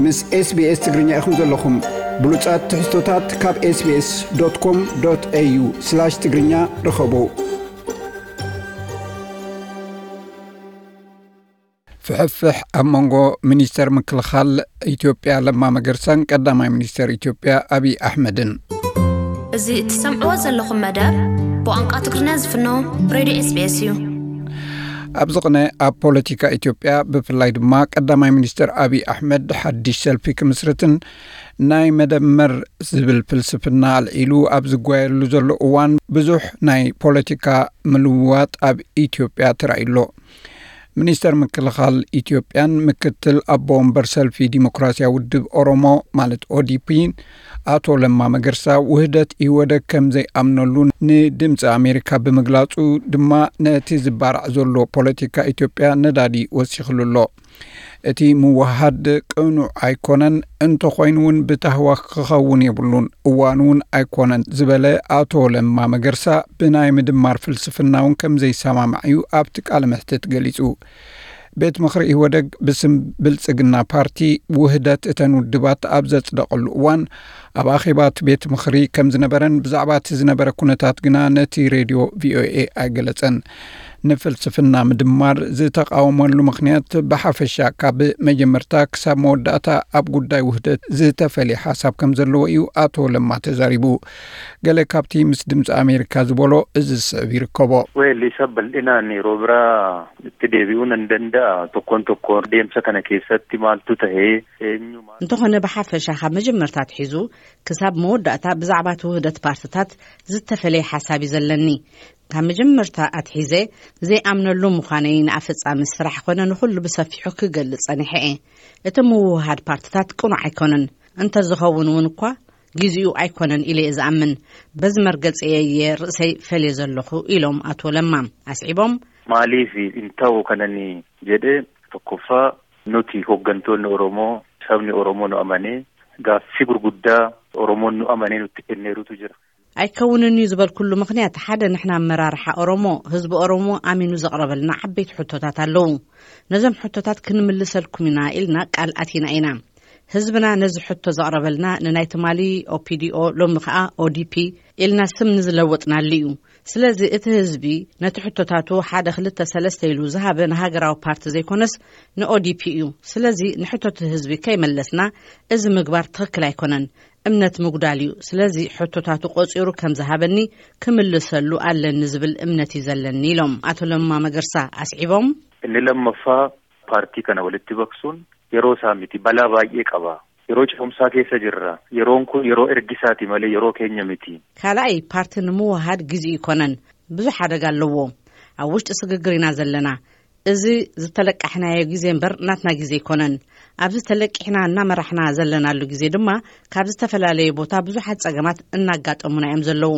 ምስ SBS ትግርኛ ኢኹም ዘለኹም። ብሉጻት ትሕዝቶታት ካብ SBS.com.au/ትግርኛ ርኸቡ። ፍሕፍሕ ኣብ መንጎ ሚኒስተር ምክልኻል ኢትዮጵያ ለማ መገርሳን ቀዳማይ ሚኒስተር ኢትዮጵያ ኣብይ ኣሕመድን። እዚ እትሰምዕዎ ዘለኹም መደብ ብቋንቋ ትግርኛ ዝፍኖ ሬድዮ SBS እዩ። ኣብዚ ቅነ ኣብ ፖለቲካ ኢትዮጵያ፣ ብፍላይ ድማ ቀዳማይ ሚኒስተር ኣብይ ኣሕመድ ሓድሽ ሰልፊ ክምስርትን ናይ መደመር ዝብል ፍልስፍና ኣልዒሉ ኣብ ዝጓየሉ ዘሎ እዋን፣ ብዙሕ ናይ ፖለቲካ ምልውዋጥ ኣብ ኢትዮጵያ ተራእዩ ኣሎ። ሚኒስተር ምክልኻል ኢትዮጵያን ምክትል ኣቦ ወንበር ሰልፊ ዲሞክራሲያዊ ውድብ ኦሮሞ ማለት ኦዲፒን ኣቶ ለማ መገርሳ፣ ውህደት ኢህወደግ ከም ዘይኣምነሉ ንድምፂ ኣሜሪካ ብምግላፁ ድማ፣ ነቲ ዝባራዕ ዘሎ ፖለቲካ ኢትዮጵያ ነዳዲ ወሲኽሉ ኣሎ። እቲ ምውሃድ ቅኑዕ ኣይኮነን፣ እንተኾይኑ እውን ብታህዋኽ ክኸውን የብሉን፣ እዋኑ እውን ኣይኮነን ዝበለ ኣቶ ለማ መገርሳ፣ ብናይ ምድማር ፍልስፍና እውን ከም ዘይሰማማዕ እዩ ኣብቲ ቃለ መሕትት ገሊጹ። ቤት ምኽሪ ኢህወደግ ብስም ብልጽግና ፓርቲ ውህደት እተን ውድባት ኣብ ዘጽደቐሉ እዋን፣ ኣብ ኣኼባ እቲ ቤት ምኽሪ ከም ዝነበረን ብዛዕባ እቲ ዝነበረ ኩነታት ግና ነቲ ሬድዮ ቪኦኤ ኣይገለጸን። ንፍልስፍና ምድማር ዝተቓወመሉ ምኽንያት፣ ብሓፈሻ ካብ መጀመርታ ክሳብ መወዳእታ ኣብ ጉዳይ ውህደት ዝተፈልየ ሓሳብ ከም ዘለዎ እዩ ኣቶ ለማ ተዛሪቡ። ገለ ካብቲ ምስ ድምፂ ኣሜሪካ ዝበሎ እዚ ዝስዕብ ይርከቦ። Well, isa bal'inaan yeroo biraa itti deebi'uu nan danda'a. Tokkoon tokkoon deemsa kana keessatti maaltu ta'ee eenyumaan እንተኾነ፣ ብሓፈሻ ካብ መጀመርታ ኣትሒዙ ክሳብ መወዳእታ ብዛዕባ እቲ ውህደት ፓርትታት ዝተፈለየ ሓሳብ እዩ ዘለኒ። ካብ መጀመርታ ኣትሒዘ ዘይኣምነሉ ምዃነይ ንኣፈጻሚ ስራሕ ኮነ ንኹሉ ብሰፊሑ ክገልጽ ጸኒሐ እየ። እቲ ምውህሃድ ፓርትታት ቅኑዕ ኣይኮነን፣ እንተዝኸውን እውን እኳ ግዜኡ ኣይኮነን ኢለ እየ ዝኣምን። በዚ መርገጺ እየ ርእሰይ ፈልየ ዘለኹ ኢሎም ኣቶ ለማ ኣስዒቦም። Maaliif hin ta'u kanan jedhe tokkoffaa nuti hooggantoonni Oromoo sabni Oromoo nu amanee gaaffii gurguddaa Oromoon nu amanee nutti kenneerutu jira. ኣይከውንን እዩ ዝበልኩሉ ምኽንያት ሓደ ንሕና ኣመራርሓ ኦሮሞ ህዝቢ ኦሮሞ ኣሚኑ ዘቕረበልና ዓበይቲ ሕቶታት ኣለዉ። ነዞም ሕቶታት ክንምልሰልኩም ኢና ኢልና ቃል ኣቲና ኢና። ህዝብና ነዚ ሕቶ ዘቕረበልና ንናይ ትማሊ ኦፒዲኦ ሎሚ ከኣ ኦዲፒ ኢልና ስም ንዝለወጥናሉ እዩ። ስለዚ እቲ ህዝቢ ነቲ ሕቶታቱ ሓደ ክልተ ሰለስተ ኢሉ ዝሃበ ንሃገራዊ ፓርቲ ዘይኮነስ ንኦዲፒ እዩ። ስለዚ ንሕቶት ህዝቢ ከይመለስና እዚ ምግባር ትኽክል ኣይኮነን። እምነት ምጉዳል እዩ። ስለዚ ሕቶታቱ ቆጺሩ ከም ዝሃበኒ ክምልሰሉ ኣለኒ ዝብል እምነት እዩ ዘለኒ ኢሎም ኣቶ ለማ መገርሳ ኣስዒቦም። Inni lammaffaa paartii kana walitti baqsuun yeroo isaa miti, balaa baay'ee qaba. Yeroo ce'umsaa keessa jirra. Yeroon kun yeroo ergisaati malee yeroo keenya miti. ካልኣይ ፓርቲ ንምውሃድ ግዜ ይኮነን፣ ብዙሕ ሓደጋ ኣለዎ። ኣብ ውሽጢ ስግግር ኢና ዘለና። እዚ ዝተለቃሕናዮ ግዜ እምበር ናትና ግዜ ኣይኮነን። ኣብዚ ተለቂሕና እናመራሕና ዘለናሉ ግዜ ድማ ካብ ዝተፈላለየ ቦታ ብዙሓት ጸገማት እናጋጠሙና እዮም ዘለዉ።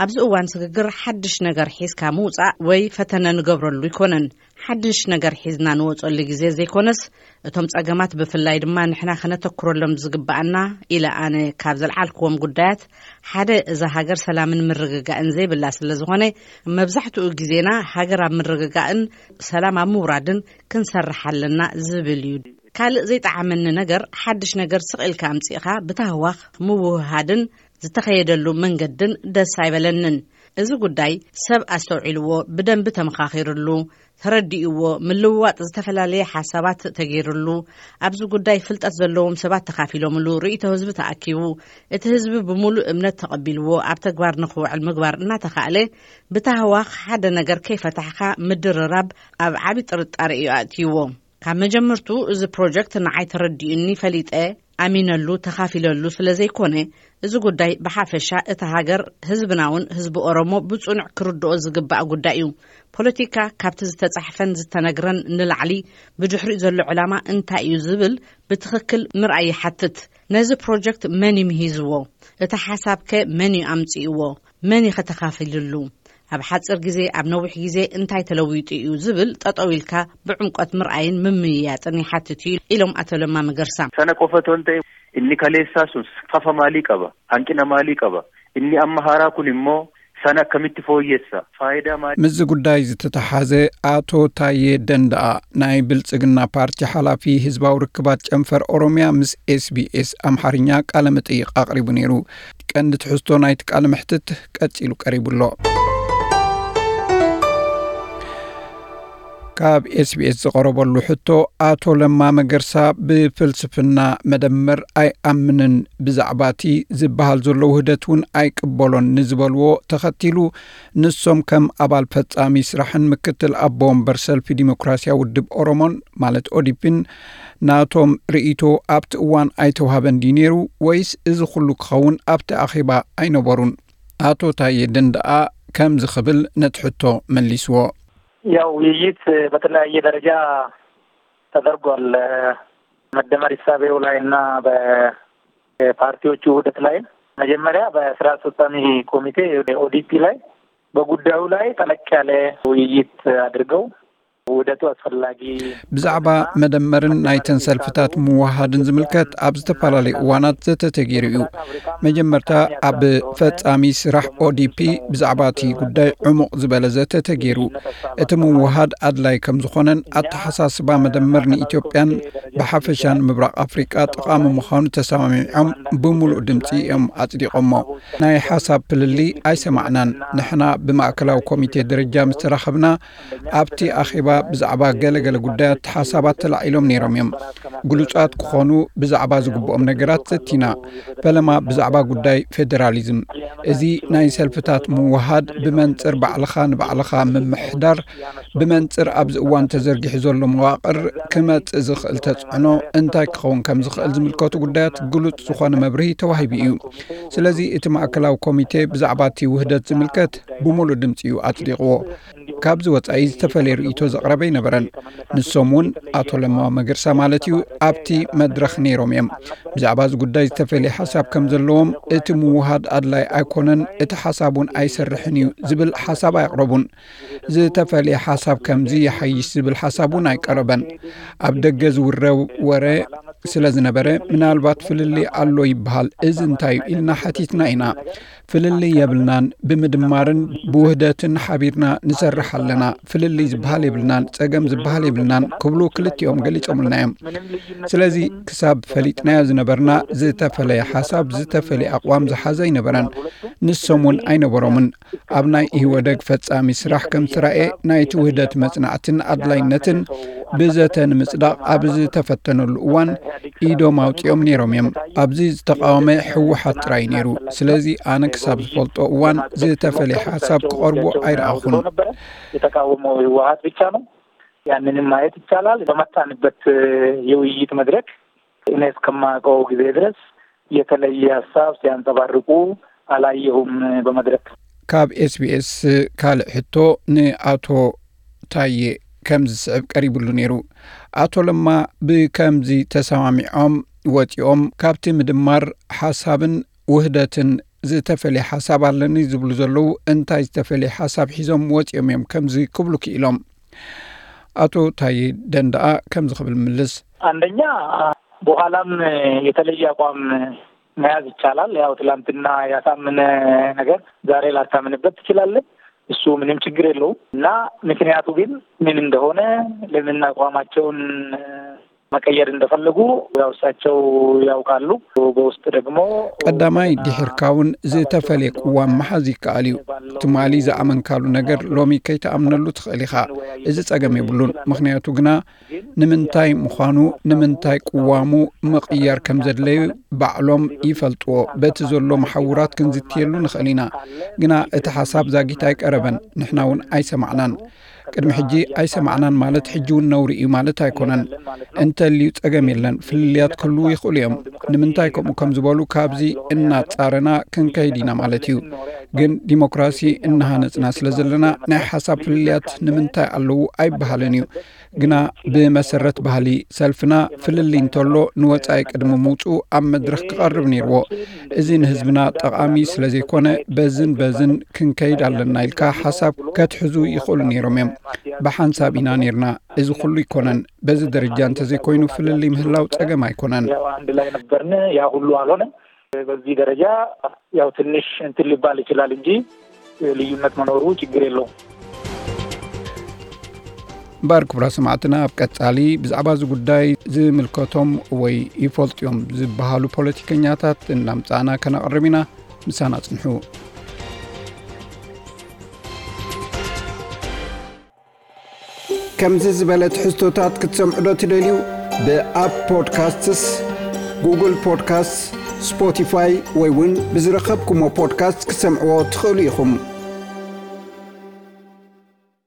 ኣብዚ እዋን ስግግር ሓድሽ ነገር ሒዝካ ምውጻእ ወይ ፈተነ ንገብረሉ ኣይኮነን። ሓድሽ ነገር ሒዝና ንወጸሉ ግዜ ዘይኮነስ እቶም ጸገማት ብፍላይ ድማ ንሕና ከነተኩረሎም ዝግባኣና ኢለ ኣነ ካብ ዘልዓልክዎም ጉዳያት ሓደ እዛ ሃገር ሰላምን ምርግጋእን ዘይብላ ስለ ዝኾነ መብዛሕትኡ ግዜና ሃገር ኣብ ምርግጋእን ሰላም ኣብ ምውራድን ክንሰርሕ ኣለና ዝብል እዩ። ካልእ ዘይጠዓመኒ ነገር ሓድሽ ነገር ስቕ ኢልካ ኣምጺእኻ ብታህዋኽ ምውህሃድን ዝተኸየደሉ መንገድን ደስ ኣይበለንን። እዚ ጉዳይ ሰብ ኣስተውዒልዎ ብደንቢ ተመኻኺርሉ ተረዲእዎ ምልውዋጥ ዝተፈላለየ ሓሳባት ተገይርሉ ኣብዚ ጉዳይ ፍልጠት ዘለዎም ሰባት ተኻፊሎምሉ ርእይቶ ህዝቢ ተኣኪቡ እቲ ህዝቢ ብምሉእ እምነት ተቐቢልዎ ኣብ ተግባር ንኽውዕል ምግባር እናተኻእለ ብታህዋኽ ሓደ ነገር ከይፈታሕኻ ምድርራብ ኣብ ዓቢ ጥርጣረ እዩ ኣእትይዎ። ካብ መጀመርቱ እዚ ፕሮጀክት ንዓይ ተረዲኡኒ ፈሊጠ ኣሚነሉ ተኻፊለሉ ስለ ዘይኮነ እዚ ጉዳይ ብሓፈሻ እታ ሃገር ህዝብናውን ህዝቢ ኦሮሞ ብጽኑዕ ክርድኦ ዝግባእ ጉዳይ እዩ። ፖለቲካ ካብቲ ዝተጻሕፈን ዝተነግረን ንላዕሊ ብድሕሪኡ ዘሎ ዕላማ እንታይ እዩ ዝብል ብትኽክል ምርኣይ ይሓትት። ነዚ ፕሮጀክት መን እዩ ምሂዝዎ? እቲ ሓሳብከ መን እዩ ኣምጺእዎ? መን እዩ ከተኻፊልሉ? ኣብ ሓጺር ግዜ ኣብ ነዊሕ ግዜ እንታይ ተለዊጡ እዩ ዝብል ጠጠው ኢልካ ብዕምቆት ምርኣይን ምምይያጥን ይሓትት እዩ ኢሎም ኣቶ ለማ መገርሳ። Sana qofa otoo hin ta'in inni kaleessaa sun fafa maalii qaba? Hanqina maalii qaba? Inni amma haaraa kun immoo Sana akkamitti fooyyessa? Faayidaa maal? ምስዚ ጉዳይ ዝተተሓዘ ኣቶ ታዬ ደንደኣ ናይ ብልጽግና ፓርቲ ሓላፊ ህዝባዊ ርክባት ጨንፈር ኦሮሚያ ምስ ኤስቢኤስ ኣምሓርኛ ቃለ መጠይቕ ኣቕሪቡ ነይሩ። ቀንዲ ትሕዝቶ ናይቲ ቃለ መሕትት ቀጺሉ ቀሪቡ ኣሎ። ካብ ኤስቢኤስ ዝቐረበሉ ሕቶ፣ ኣቶ ለማ መገርሳ ብፍልስፍና መደመር ኣይኣምንን፣ ብዛዕባ እቲ ዝበሃል ዘሎ ውህደት እውን ኣይቅበሎን ንዝበልዎ ተኸቲሉ፣ ንሶም ከም ኣባል ፈጻሚ ስራሕን ምክትል ኣቦ ወንበር ሰልፊ ዲሞክራሲያዊ ውድብ ኦሮሞን፣ ማለት ኦዲፒን፣ ናቶም ርእይቶ ኣብቲ እዋን ኣይተዋህበን ድዩ ነይሩ፣ ወይስ እዚ ኩሉ ክኸውን ኣብቲ ኣኼባ ኣይነበሩን? ኣቶ ታዬ ደንደኣ ከምዚ ክብል ነቲ ሕቶ መሊስዎ። ያው ውይይት በተለያየ ደረጃ ተደርጓል። መደመር ሂሳቤው ላይ እና በፓርቲዎቹ ውህደት ላይ መጀመሪያ በስራ አስፈጻሚ ኮሚቴ ኦዲፒ ላይ በጉዳዩ ላይ ጠለቅ ያለ ውይይት አድርገው ውህደቱ አስፈላጊ ብዛዕባ መደመርን ናይተን ሰልፍታት ምውሃድን ዝምልከት ኣብ ዝተፈላለዩ እዋናት ዘተ ተገይሩ እዩ። መጀመርታ ኣብ ፈጻሚ ስራሕ ኦዲፒ ብዛዕባ እቲ ጉዳይ ዕሙቕ ዝበለ ዘተ ተገይሩ። እቲ ምውሃድ ኣድላይ ከም ዝኾነን ኣተሓሳስባ መደመር ንኢትዮጵያን ብሓፈሻን ምብራቕ ኣፍሪቃ ጠቓሚ ምዃኑ ተሰማሚዖም ብምሉእ ድምፂ እዮም ኣጽዲቖሞ። ናይ ሓሳብ ፍልልይ ኣይሰማዕናን። ንሕና ብማእከላዊ ኮሚቴ ደረጃ ምስ ተራኸብና ኣብቲ ኣኼባ ብዛዕባ ገለ ገለ ጉዳያት ሓሳባት ተላዒሎም ነይሮም እዮም። ግሉጻት ክኾኑ ብዛዕባ ዝግብኦም ነገራት ዘቲና። ፈለማ ብዛዕባ ጉዳይ ፌደራሊዝም። እዚ ናይ ሰልፍታት ምውሃድ ብመንጽር ባዕልኻ ንባዕልኻ ምምሕዳር ብመንጽር ኣብዚ እዋን ተዘርጊሑ ዘሎ መዋቕር ክመጽእ ዝኽእል ተጽዕኖ እንታይ ክኸውን ከም ዝኽእል ዝምልከቱ ጉዳያት ግሉጽ ዝኾነ መብርሂ ተዋሂቡ እዩ። ስለዚ እቲ ማእከላዊ ኮሚቴ ብዛዕባ እቲ ውህደት ዝምልከት ብምሉእ ድምጺ እዩ ኣጽዲቕዎ። ካብዚ ወጻኢ ዝተፈለየ ርእይቶ ዘቕረበ ኣይነበረን። ንሶም እውን ኣቶ ለማ መገርሳ ማለት እዩ ኣብቲ መድረኽ ነይሮም እዮም። ብዛዕባ እዚ ጉዳይ ዝተፈለየ ሓሳብ ከም ዘለዎም፣ እቲ ምውሃድ ኣድላይ ኣይኮነን፣ እቲ ሓሳብ እውን ኣይሰርሕን እዩ ዝብል ሓሳብ ኣየቕረቡን። ዝተፈለየ ሓሳብ ከምዚ ይሓይሽ ዝብል ሓሳብ እውን ኣይቀረበን። ኣብ ደገ ዝውረ ወረ ስለ ዝነበረ ምናልባት ፍልልይ ኣሎ ይበሃል፣ እዚ እንታይ እዩ ኢልና ሓቲትና ኢና። ፍልልይ የብልናን፣ ብምድማርን ብውህደትን ሓቢርና ንሰርሕ ኣለና። ፍልልይ ዝበሃል የብልናን፣ ጸገም ዝበሃል የብልናን ክብሉ ክልቲኦም ገሊጾምልና እዮም። ስለዚ ክሳብ ፈሊጥናዮ ዝነበርና ዝተፈለየ ሓሳብ፣ ዝተፈለየ ኣቕዋም ዝሓዘ ኣይነበረን። ንሶም እውን ኣይነበሮምን። ኣብ ናይ ኢህወደግ ፈጻሚ ስራሕ ከም ዝተራእየ ናይቲ ውህደት መጽናዕትን ኣድላይነትን ብዘተ ንምጽዳቕ ኣብ ዝተፈተነሉ እዋን ኢዶም ኣውጺኦም ነይሮም እዮም። ኣብዚ ዝተቃወመ ህወሓት ጥራይ ነይሩ። ስለዚ ኣነ ክሳብ ዝፈልጦ እዋን ዝተፈለየ ሓሳብ ክቐርቡ ኣይረኣኹን። የተቃወመው ህወሓት ብቻ ነው። ያንንም ማየት ይቻላል። በመጣንበት የውይይት መድረክ እኔ እስከማውቀው ጊዜ ድረስ የተለየ ሀሳብ ሲያንጸባርቁ አላየሁም በመድረክ። ካብ ኤስቢኤስ ካልእ ሕቶ ንኣቶ ታዬ ከም ዝስዕብ ቀሪብሉ ነይሩ። ኣቶ ለማ ብከምዚ ተሰማሚዖም ወጺኦም፣ ካብቲ ምድማር ሓሳብን ውህደትን ዝተፈልየ ሓሳብ ኣለኒ ዝብሉ ዘለዉ እንታይ ዝተፈልየ ሓሳብ ሒዞም ወጺኦም እዮም ከምዚ ክብሉ ክኢሎም? ኣቶ ታዬ ደንደኣ ከምዚ ክብል ምልስ። አንደኛ በኋላም የተለየ አቋም መያዝ ይቻላል። ያው ትላንትና ያሳመነ ነገር ዛሬ ላታምንበት ትችላለህ። እሱ ምንም ችግር የለውም። እና ምክንያቱ ግን ምን እንደሆነ፣ ለምን አቋማቸውን መቀየር እንደፈለጉ ያው እሳቸው ያውቃሉ። በውስጥ ደግሞ ቀዳማይ ድሕርካ እውን ዝተፈለየ ቅዋም መሓዝ ይከኣል እዩ። ትማሊ ዝኣመንካሉ ነገር ሎሚ ከይትኣምነሉ ትኽእል ኢኻ። እዚ ጸገም የብሉን። ምኽንያቱ ግና ንምንታይ ምዃኑ፣ ንምንታይ ቅዋሙ ምቕያር ከም ዘድለዩ ባዕሎም ይፈልጥዎ። በቲ ዘሎ መሓውራት ክንዝትየሉ ንኽእል ኢና። ግና እቲ ሓሳብ ዛጊት ኣይቀረበን፣ ንሕና እውን ኣይሰማዕናን። ቅድሚ ሕጂ ኣይሰማዕናን ማለት ሕጂ እውን ነውሪ እዩ ማለት ኣይኮነን። እንተልዩ ጸገም የለን፣ ፍልልያት ክህልዉ ይኽእሉ እዮም። ንምንታይ ከምኡ ከም ዝበሉ ካብዚ እናጻረና ክንከይድ ኢና ማለት እዩ። ግን ዲሞክራሲ እናሃነጽና ስለ ዘለና ናይ ሓሳብ ፍልልያት ንምንታይ ኣለዉ ኣይበሃልን እዩ። ግና ብመሰረት ባህሊ ሰልፍና ፍልልይ እንተሎ ንወጻኢ ቅድሚ ምውጽኡ ኣብ መድረኽ ክቐርብ ነይርዎ። እዚ ንህዝብና ጠቓሚ ስለ ዘይኮነ በዝን በዝን ክንከይድ ኣለና ኢልካ ሓሳብ ከትሕዙ ይኽእሉ ነይሮም እዮም። ብሓንሳብ ኢና ነይርና። እዚ ኩሉ ኣይኮነን። በዚ ደረጃ እንተዘይኮይኑ ፍልልይ ምህላው ጸገም ኣይኮነን። ያው አንድ ላይ ነበርን፣ ያ ሁሉ አልሆነም። በዚህ ደረጃ ያው ትንሽ እንትን ሊባል ይችላል እንጂ ልዩነት መኖሩ ችግር የለውም። እምበኣር ክቡራት ሰማዕትና፣ ኣብ ቀጻሊ ብዛዕባ እዚ ጉዳይ ዝምልከቶም ወይ ይፈልጡ እዮም ዝበሃሉ ፖለቲከኛታት እናምጻእና ከነቕርብ ኢና። ምሳና ጽንሑ። ከምዚ ዝበለ ትሕዝቶታት ክትሰምዑ ዶ ትደልዩ? ብኣፕ ፖድካስትስ፣ ጉግል ፖድካስት፣ ስፖቲፋይ ወይ እውን ብዝረኸብኩሞ ፖድካስት ክትሰምዕዎ ትኽእሉ ኢኹም።